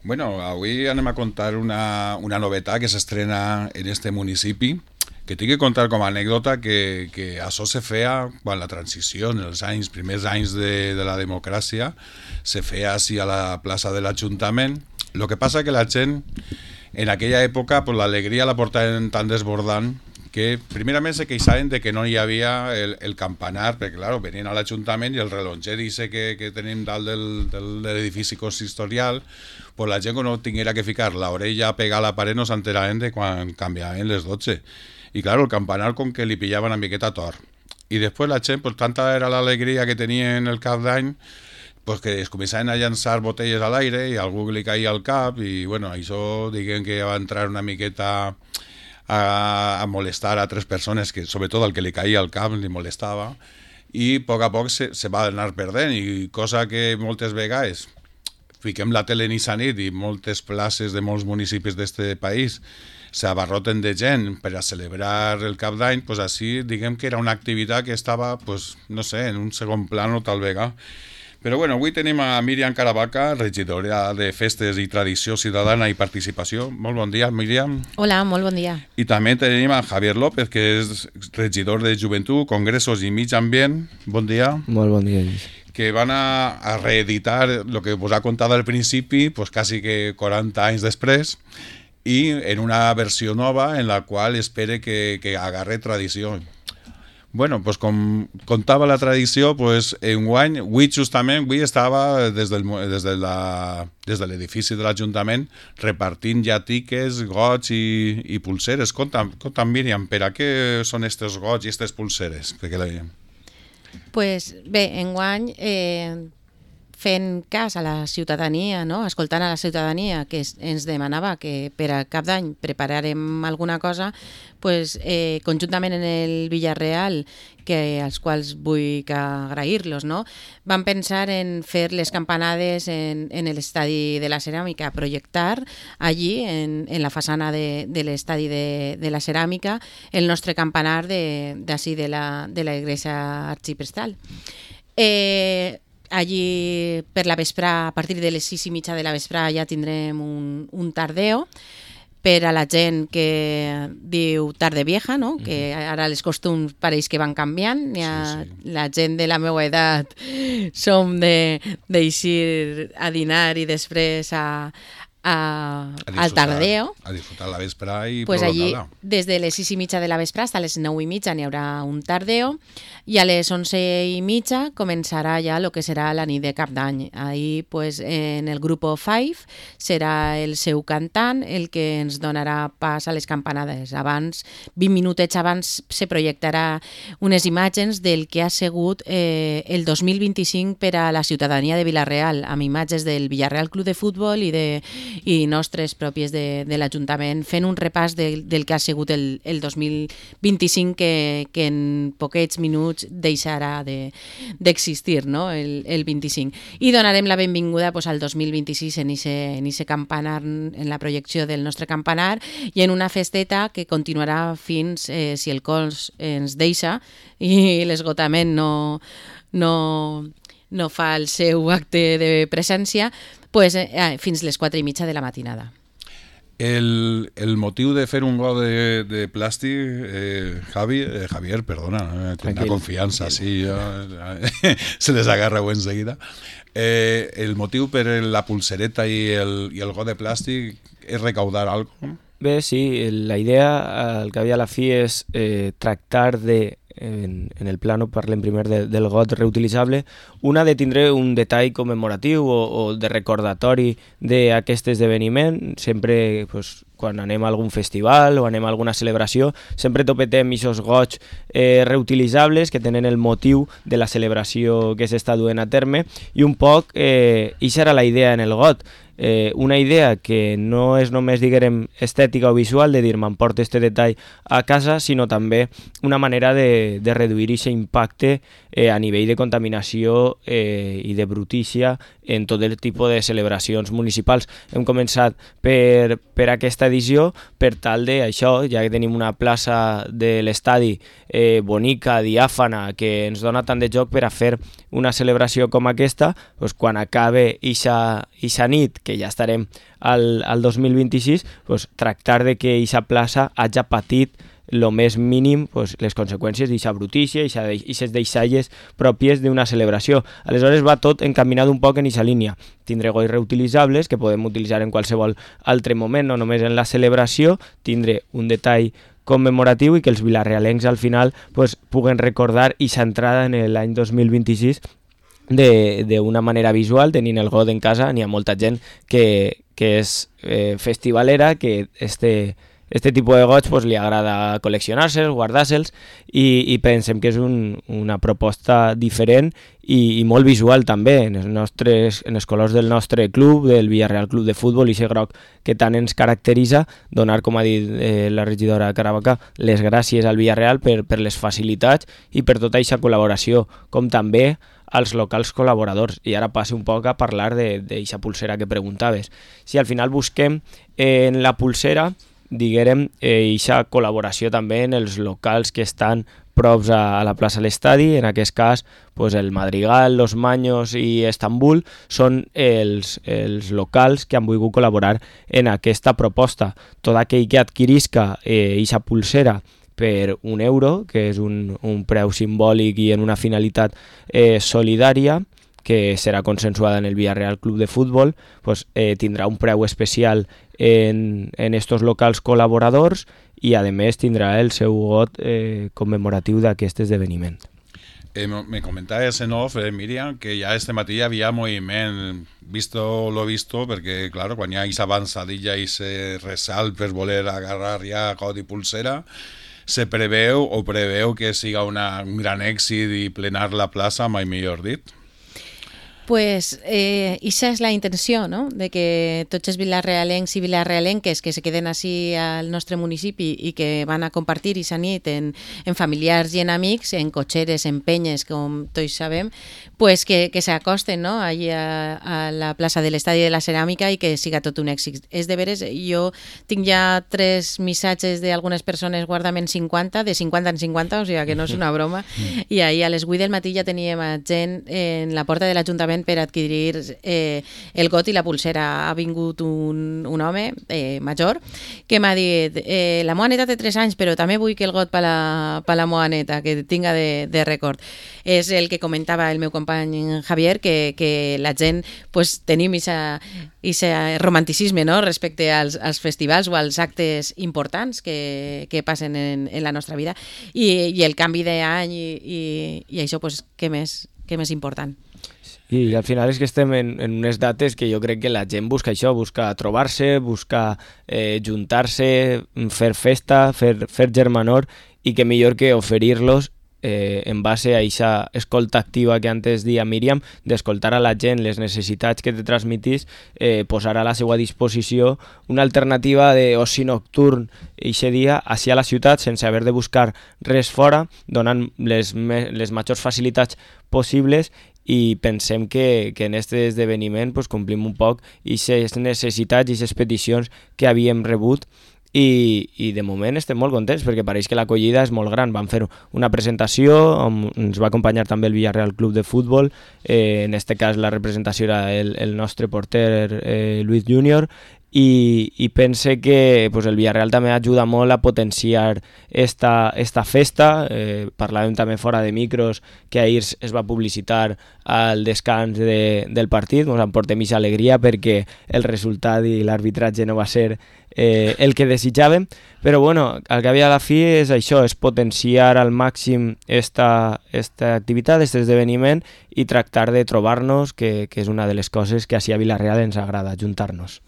Bueno, avui anem a contar una novetat que s'estrena en este municipi, que tinc que contar com a anècdota que això se feia quan la transició, en els primers anys de la democràcia, se feia així a la plaça de l'Ajuntament. El que passa que la gent, en aquella època, pues, l'alegria la portaven tan desbordant que primerament se queixaven de que no hi havia el campanar, perquè clar, venien a l'Ajuntament i el relonger dice que tenim dalt de l'edifici consistorial, pues la gent que no tinguera que ficar l'orella a pegar a la paret no s'enteraven de quan canviaven les 12. I clar, el campanar com que li pillaven una miqueta tort. I després la gent, pues, tanta era l'alegria que tenien el cap d'any, pues que es començaven a llançar botelles a l'aire i a algú li caia al cap i bueno, això diguem que va entrar una miqueta a molestar a tres persones que sobretot al que li caia al cap li molestava i a poc se va anar perdent i cosa que moltes vegades fiquem la tele ni nit i moltes places de molts municipis d'este país s'abarroten de gent per a celebrar el cap d'any, pues així diguem que era una activitat que estava, pues, no sé, en un segon plano tal vegada. Però bueno, avui tenim a Míriam Caravaca, regidora de Festes i Tradició Ciutadana i Participació. Molt bon dia, Míriam. Hola, molt bon dia. I també tenim a Javier López, que és regidor de Joventut, Congressos i Mig Ambient. Bon dia. Molt bon dia, Lluís. Que van a reeditar el que us ha contat al principi, pues quasi que 40 anys després, i en una versió nova en la qual espere que agarre tradició. Bueno, pues com contava la tradició, pues enguany, avui estava des de l'edifici de l'Ajuntament repartint ja tiques, gots i pulseres. Conta'm, Míriam, per a què són estes gots i estes pulseres? Pues bé, enguany fent cas a la ciutadania, no? Escoltant a la ciutadania que ens demanava que per a cap d'any prepararem alguna cosa, pues, conjuntament en el Villarreal, als quals vull agrair-los, no? Vam pensar en fer les campanades en l'estadi de la Ceràmica, projectar allí, en la façana de l'estadi de la Ceràmica, el nostre campanar d'ací de la Iglesia Arxiprestal. Allí per la vesprà, a partir de les 6:30 de la vesprà ja tindrem un tardeo per a la gent que diu tarde vieja, no? Que ara els costums pareix que van canviant. La gent de la meva edat som d'eixir a dinar i després al tardeo. A disfrutar la vesprà i pues allí, prolongar-la. des de les 6:30 de la vesprà fins a les 9:30 n'hi haurà un tardeo i a les 11:30 començarà ja el que serà la nit de cap d'any. Ahir, pues, en el grup 5 serà el seu cantant el que ens donarà pas a les campanades. Abans, 20 minutets abans, se projectarà unes imatges del que ha sigut el 2025 per a la ciutadania de Vila-real, amb imatges del Villarreal Club de Futbol i nostres pròpies de l'Ajuntament, fent un repàs del que ha sigut el 2025 que en poquets minuts deixarà d'existir, no? el 25. I donarem la benvinguda pues, al 2026 en ese campanar, en la projecció del nostre campanar i en una festeta que continuarà fins, si el cos ens deixa i l'esgotament no fa el seu acte de presència, pues, fins les 4:30 de la matinada. El motiu de fer un got de plàstic, Javier, perdona, tinc una confiança, sí, se les agarra enseguida. El motiu per la pulsereta i el got de plàstic és recaudar alguna cosa? Bé, sí, la idea al cap i a la fi és tractar de, en el plano parlem primer del got reutilitzable, una de tindre un detall commemoratiu o de recordatori d'aquest esdeveniment. Sempre, pues, quan anem a algun festival o anem a alguna celebració, sempre topetem aquests gots reutilitzables que tenen el motiu de la celebració que s'està duent a terme i un poc, això era la idea en el got. Una idea que no és només, diguem, estètica o visual, de dir m'emporto este detall a casa, sinó també una manera de reduir aquest impacte a nivell de contaminació i de brutícia en tot el tipus de celebracions municipals. Hem començat per aquesta edició per tal d'això, ja que tenim una plaça de l'estadi bonica, diàfana, que ens dona tant de joc per a fer una celebració com aquesta, doncs quan acabe ixa nit, que ja estarem al 2026, pues, tractar de que aquesta plaça hagi patit el més mínim les conseqüències d'aquesta brutícia i aquestes deixalles pròpies d'una celebració. Aleshores va tot encaminat un poc en aquesta línia. Tindre gois reutilitzables que podem utilitzar en qualsevol altre moment, no només en la celebració, tindre un detall commemoratiu i que els vilarealencs al final puguen recordar aquesta entrada en l'any 2026 d'una manera visual, tenint el got en casa. N'hi ha molta gent que és festivalera, que este tipus de gots li agrada col·leccionar-se'ls, guardar-se'ls, i pensem que és una proposta diferent i molt visual també, en els colors del nostre club, del Villarreal Club de Futbol, i aquest groc que tant ens caracteritza. Donar, com ha dit la regidora Caravaca, les gràcies al Villarreal per les facilitats i per tota aquesta col·laboració, com també als locals col·laboradors. I ara passo un poc a parlar d'aquesta pulsera que preguntaves. Si al final busquem en la pulsera, diguem, aquesta col·laboració també en els locals que estan props a la plaça de l'estadi, en aquest cas el Madrigal, Los Maños i Estambul són els locals que han volgut col·laborar en aquesta proposta. Tot aquell que adquirisca aquesta pulsera per €1, que és un preu simbòlic i en una finalitat solidària, que serà consensuada en el Villarreal Club de Futbol, tindrà un preu especial en estos locals col·laboradors i a més tindrà el seu got commemoratiu d'aquest esdeveniment. Me comentaves en off, Míriam, que ja este matí hi havia moviment, visto lo visto, perquè clar, quan hi ha aquesta avançadilla i se ressalt per voler agarrar ja got i pulsera, se preveu que siga un gran èxit i plenar la plaça, mai millor dit? Pues esa és la intenció, no? De que tots els vilarealencs i vilarealenques que se queden així al nostre municipi i que van a compartir aquesta nit en familiars i en amics, en cotxeres, en penyes, com tots sabem, pues que s'acosten, no? Allí a la plaça de l'Estadi de la Ceràmica i que siga tot un èxit. És de veres, jo tinc ja 3 missatges d'algunes persones guardament 50, de 50 en 50, o sigui que no és una broma, i ahir a les 8 del matí ja teníem gent en la porta de l'Ajuntament per adquirir el got i la pulsera. Ha vingut un home major que m'ha dit la meva neta té 3 anys però també vull que el got per la meva neta, que tinga de record. És el que comentava el meu company Javier, que la gent tenim aquest romanticisme, no? Respecte als festivals o als actes importants que passen en la nostra vida, i el canvi d'any i això, què més important. I al final és que estem en unes dates que jo crec que la gent busca això, busca trobar-se, busca juntar-se, fer festa, fer germanor, i que millor que oferir-los en base a aquesta escolta activa que antes deia Míriam, d'escoltar a la gent les necessitats que te transmitís, posar a la seva disposició una alternativa d'oci nocturn aquest dia així a la ciutat sense haver de buscar res fora, donant les majors facilitats possibles. I pensem que en aquest esdeveniment complim un poc aquestes necessitats i aquestes peticions que havíem rebut, i de moment estem molt contents perquè pareix que l'acollida és molt gran. Vam fer una presentació on ens va acompanyar també el Villarreal Club de Futbol, en aquest cas la representació era el nostre porter Luis Júnior, i pense que el Villarreal també ajuda molt a potenciar esta festa. Parlàvem també fora de micros que ahir es va publicitar al descans del partit. Ens emportem aquesta alegria perquè el resultat i l'arbitratge no va ser el que desitjàvem, però bueno, al cap i a la fi és això, és potenciar al màxim esta activitat, aquest esdeveniment, i tractar de trobar-nos, que és una de les coses que així a Vilareal ens agrada, juntar-nos.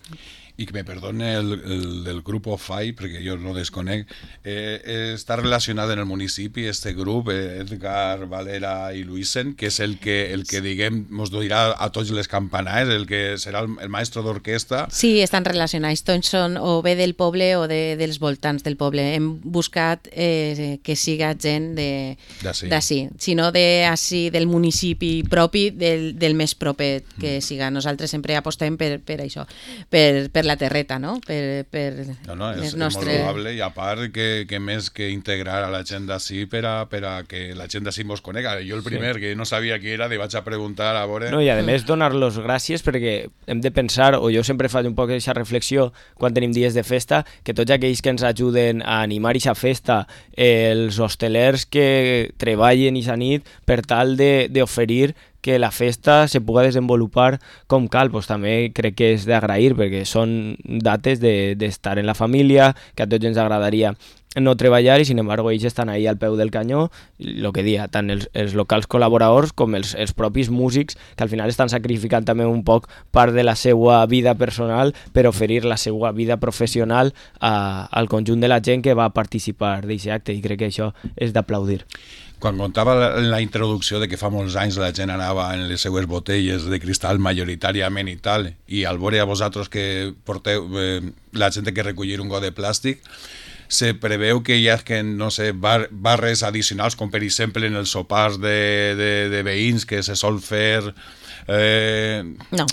I que me perdone el grupo FAI, perquè jo no desconec, està relacionat en el municipi este grup, Edgar, Valera i Luisen, que és el que diguem, mos dirà a tots les campanades, el que serà el maestro d'orquestra. Sí, estan relacionats, tots són o bé del poble o dels voltants del poble. Hem buscat que siga gent d'ací, sinó del municipi propi, del més proper que siga. Nosaltres sempre apostem per això, per per la terreta, no? És molt loable, i a part que més que integrar a la gent d'ací per a que la gent d'ací mos conega. Jo el primer que no sabia qui era, li vaig a preguntar a veure... No, i a més donar-los gràcies perquè hem de pensar, o jo sempre faig un poc aquesta reflexió quan tenim dies de festa, que tots aquells que ens ajuden a animar aquesta festa, els hostelers que treballen aquesta nit per tal d'oferir que la festa se pugui desenvolupar com cal, pues també crec que és d'agrair perquè són dates d'estar en la família, que a tots ens agradaria no treballar i sin embargo ells estan ahí al peu del canyó, el que dia, tant els locals col·laboradors com els propis músics que al final estan sacrificant també un poc part de la seva vida personal per oferir la seva vida professional al conjunt de la gent que va participar d'aquest acte, i crec que això és d'aplaudir. Quan contava en la introducció de que fa molts anys la gent anava en les seues botelles de cristal majoritàriament i tal, i al veure a vosaltres que porteu la gent que recollir un got de plàstic, se preveu que hi ha no sé, barres addicionals, com per exemple en els sopars de veïns que se sol fer... No,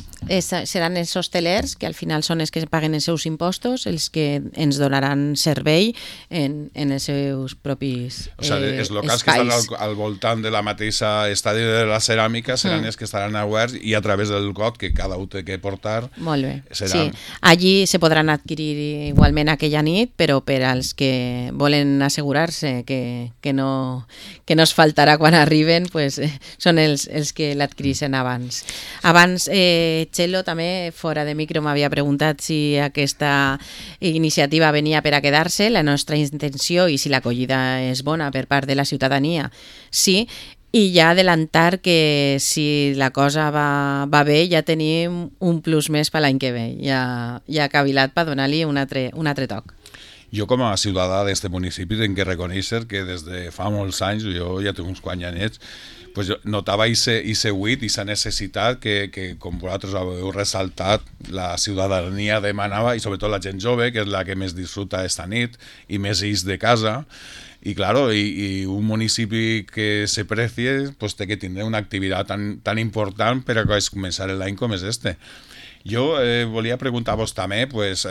seran els hostelers que al final són els que paguen els seus impostos, els que ens donaran servei en els seus propis o sigui, els locals espais. Que estan al voltant de la mateixa estadi de la ceràmica seran els que estaran oberts, i a través del got que cada un té que portar. Molt bé, seran... sí. Allí se podran adquirir igualment aquella nit, però per als que volen assegurar-se que no es faltarà quan arriben, pues, són els que l'adquireixen abans. Abans, Txelo també, fora de micro, m'havia preguntat si aquesta iniciativa venia per a quedar-se. La nostra intenció, i si l'acollida és bona per part de la ciutadania, sí, i ja adelantar que si la cosa va bé ja tenim un plus més per l'any que ve. Ja ha cavilat per donar-li un altre toc. Jo com a ciutadà d'este municipi tinc que reconèixer que des de fa molts anys, jo ja tinc uns quants anyets, pues notava ese buit, esa necessitat que com vosaltres heu ressaltat, la ciutadania demanava, i sobretot la gent jove, que és la que més disfruta esta nit i més ix de casa. I claro, i un municipi que se precie pues té que tindre una activitat tan important per a començar l'any com és este. Jo volia preguntar-vos també, pues...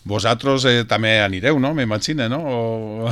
vosaltres també anireu, no? M'imagino, no?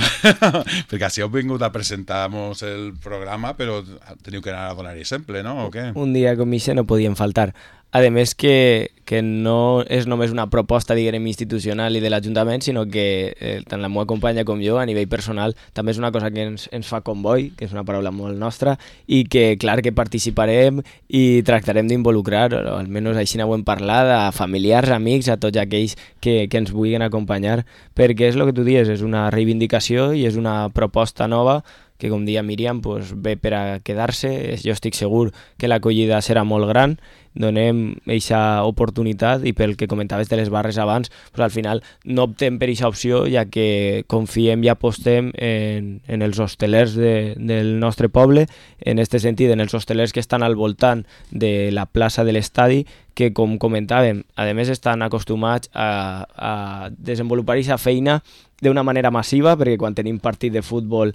Perquè si heu vingut a presentar-nos el programa, però teniu que anar a donar exemple, no? O què? Un dia com això no podien faltar. A més que no és només una proposta, diguem, institucional i de l'Ajuntament, sinó que tant la meva companya com jo, a nivell personal, també és una cosa que ens fa comboi, que és una paraula molt nostra, i que, clar, que participarem i tractarem d'involucrar, o almenys així n'ho hem parlat, a familiars, amics, a tots aquells que ens vulguin acompanyar, perquè és el que tu dius, és una reivindicació i és una proposta nova que, com dia Míriam, pues, ve per a quedar-se. Jo estic segur que l'acollida serà molt gran, donem aquesta oportunitat, i pel que comentaves de les barres abans, pues, al final no optem per aquesta opció, ja que confiem i apostem en els hostelers del nostre poble, en aquest sentit, en els hostelers que estan al voltant de la plaça de l'estadi, que, com comentàvem, a més estan acostumats a desenvolupar aquesta feina d'una manera massiva, perquè quan tenim partit de futbol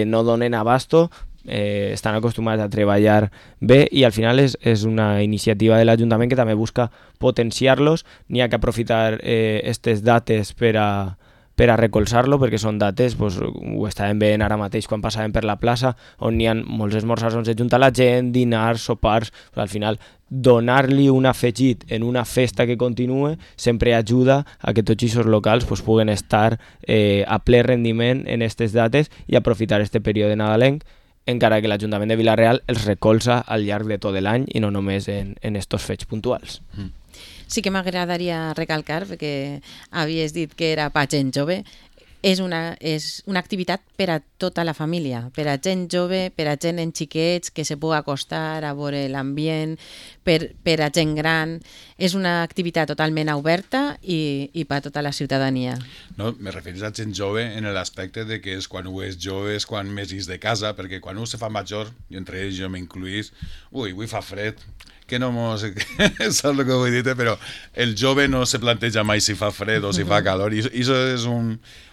no donen abasto, estan acostumats a treballar bé, i al final és una iniciativa de l'Ajuntament que també busca potenciar-los. N'hi ha que aprofitar aquestes dates per a recolzar-lo, perquè són dates, pues, ho estàvem veient ara mateix quan passàvem per la plaça, on n'hi ha molts esmorzars on s'ajunta la gent, dinars, sopars, pues, al final donar-li un afegit en una festa que continue sempre ajuda a que tots aquests locals pues, puguen estar a ple rendiment en aquestes dates i aprofitar aquest període nadalenc, encara que l'Ajuntament de Vila-real els recolza al llarg de tot l'any i no només en estos fets puntuals. Sí que m'agradaria recalcar, perquè havies dit que era per gent jove, és una activitat per a tota la família, per a gent jove, per a gent en xiquets, que se pugui acostar a veure l'ambient, per a gent gran. És una activitat totalment oberta i per a tota la ciutadania. No, me referís a gent jove en l'aspecte de que és quan ho és jove, és quan més és de casa, perquè quan un se fa major, i entre ells jo m'incluís, avui fa fred, que no mos... Saps el que vull dir? Però el jove no se planteja mai si fa fred o si fa calor, i això és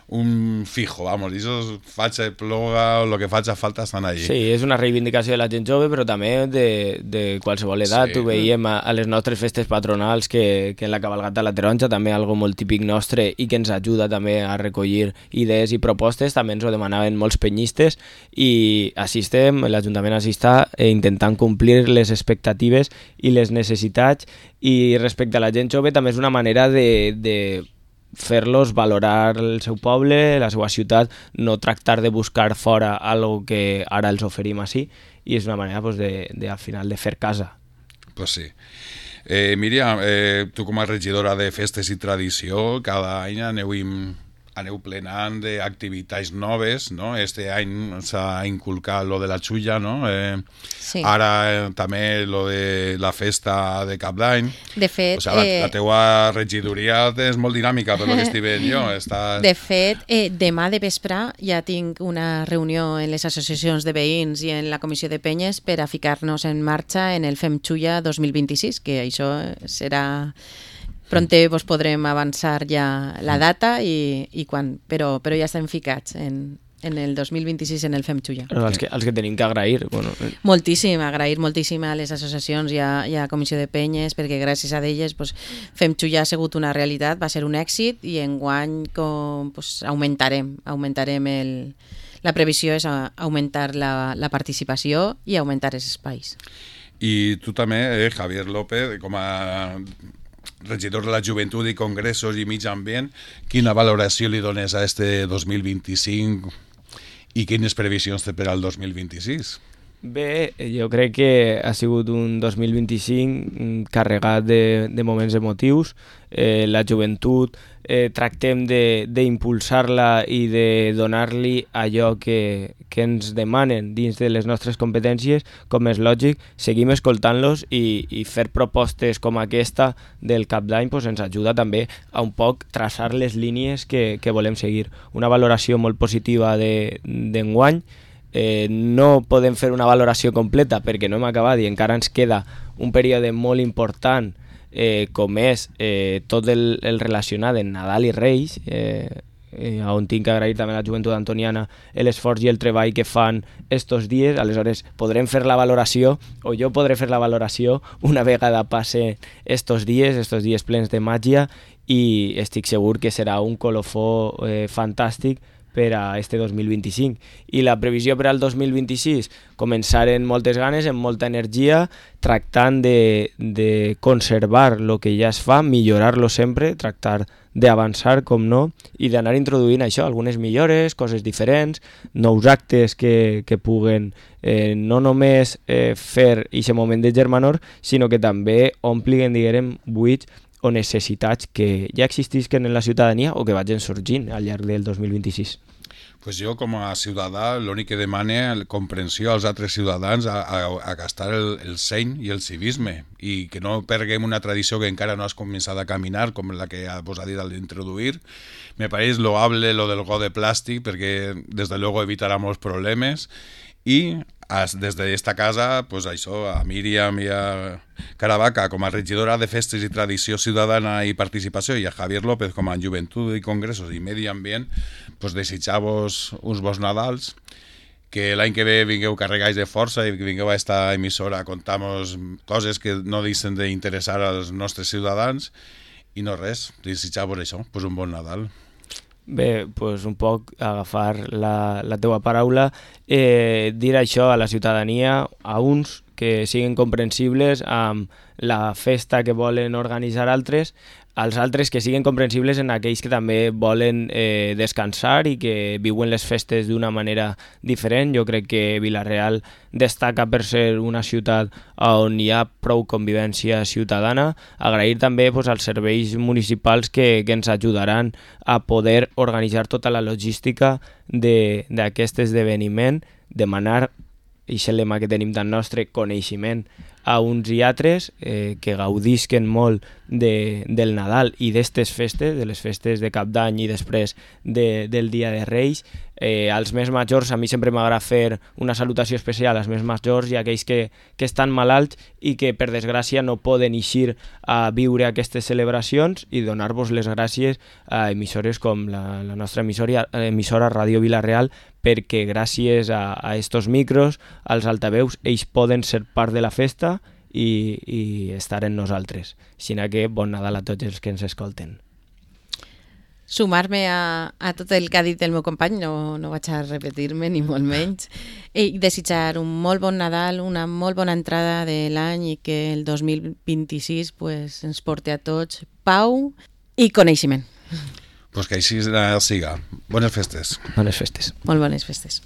un fijo, vamos, i això faig ploga o el que faig falta estan allí. Sí, és una reivindicació de la gent jove, però també de qualsevol edat. Ho veiem a les nostres festes patronals, que en la cabalgata de la Taronja, també algo molt típic nostre i que ens ajuda també a recollir idees i propostes, també ens ho demanaven molts penyistes, i així estem, l'Ajuntament així està, intentant complir les expectatives i les necessitats. I respecte a la gent jove també és una manera de fer-los valorar el seu poble, la seva ciutat, no tractar de buscar fora algo que ara els oferim així, i és una manera pues, al final de fer casa. Pues sí. Míriam, tu com a regidora de festes i tradició, cada any aneu plenant d'activitats noves, no? Este any s'ha inculcat lo de la xulla, no? Sí. Ara també lo de la festa de Cap d'Any. De fet... O sigui, la teua regidoria és molt dinàmica, per lo que estic veient jo. De fet, demà de vespre ja tinc una reunió en les associacions de veïns i en la comissió de penyes per a ficar-nos en marxa en el Fem Xulla 2026, que això serà... Pronte vos podrem avançar ja la data i quan, però ja estem ficats en el 2026 en el Fem Xulla. Els que tenim que agrair. Bueno. Moltíssim, agrair moltíssim a les associacions i a Comissió de Penyes, perquè gràcies a elles Fem Xulla ha sigut una realitat, va ser un èxit, i enguany augmentarem la previsió és augmentar la participació i augmentar els espais. I tu també, Javier López, com a regidor de la Joventut i Congressos i Mig Ambient, quina valoració li dones a este 2025 i quines previsions té per al 2026? Bé, jo crec que ha sigut un 2025 carregat de moments emotius. La joventut tractem d'impulsar-la i de donar-li allò que ens demanen dins de les nostres competències, com és lògic. Seguim escoltant-los i fer propostes com aquesta del Cap d'Any ens ajuda també a un poc traçar les línies que volem seguir. Una valoració molt positiva d'enguany. No podem fer una valoració completa perquè no hem acabat i encara ens queda un període molt important com és tot el relacionat amb Nadal i Reis, on tinc que agrair també a la joventut antoniana l'esforç i el treball que fan estos dies. Aleshores podrem fer la valoració, o jo podré fer la valoració una vegada passe estos dies plens de màgia, i estic segur que serà un colofó fantàstic per a este 2025. I la previsió per al 2026, començar amb moltes ganes, amb molta energia, tractant de conservar el que ja es fa, millorar-lo sempre, tractar d'avançar, com no, i d'anar introduint això, algunes millores, coses diferents, nous actes que puguen no només fer aquest moment de germanor, sinó que també omplin, diguem, buits o necessitats que ja existisquen en la ciutadania o que vagin sorgint al llarg del 2026. Pues jo, com a ciutadà, l'únic que demane comprensió als altres ciutadans a gastar el seny i el civisme, i que no perguem una tradició que encara no has començat a caminar, com la que vos ha dit d'introduir. Me pareix loable lo del got de plàstic, perquè des de luego evitarà molts problemes, i des d'esta casa, pues això, a Míriam i a Caravaca com a regidora de Festes i Tradició Ciutadana i Participació, i a Javier López com a Joventut i Congressos i Medi Ambient, pues desitjar-vos uns bons Nadals, que l'any que ve vingueu carregats de força i que vingueu a esta emissora a contar-nos coses que no deixen d'interessar als nostres ciutadans, i no res, desitjar-vos això, pues un bon Nadal. Bé, doncs un poc agafar la teua paraula, dir això a la ciutadania, a uns que siguin comprensibles amb la festa que volen organitzar altres, als altres que siguin comprensibles en aquells que també volen descansar i que viuen les festes d'una manera diferent. Jo crec que Vila-real destaca per ser una ciutat on hi ha prou convivència ciutadana. Agrair també als serveis municipals que ens ajudaran a poder organitzar tota la logística d'aquest esdeveniment, demanar aquest lema que tenim tan nostre, coneixement a uns i altres, que gaudisquen molt del Nadal i d'estes festes, de les festes de Cap d'Any i després del Dia de Reis. Als més majors, a mi sempre m'agrada fer una salutació especial als més majors i a aquells que estan malalts i que per desgràcia no poden eixir a viure aquestes celebracions, i donar-vos les gràcies a emissores com la nostra emissora Ràdio Vila-real, perquè gràcies a estos micros, als altaveus, ells poden ser part de la festa i estar en nosaltres. Així que bon Nadal a tots els que ens escolten. Sumar-me a tot el que ha dit el meu company, no vaig a repetir-me ni molt menys, i desitjar un molt bon Nadal, una molt bona entrada de l'any, i que el 2026 pues, ens porti a tots pau i coneixement. Pues que així siga. Bones festes. Bones festes. Molt bones festes.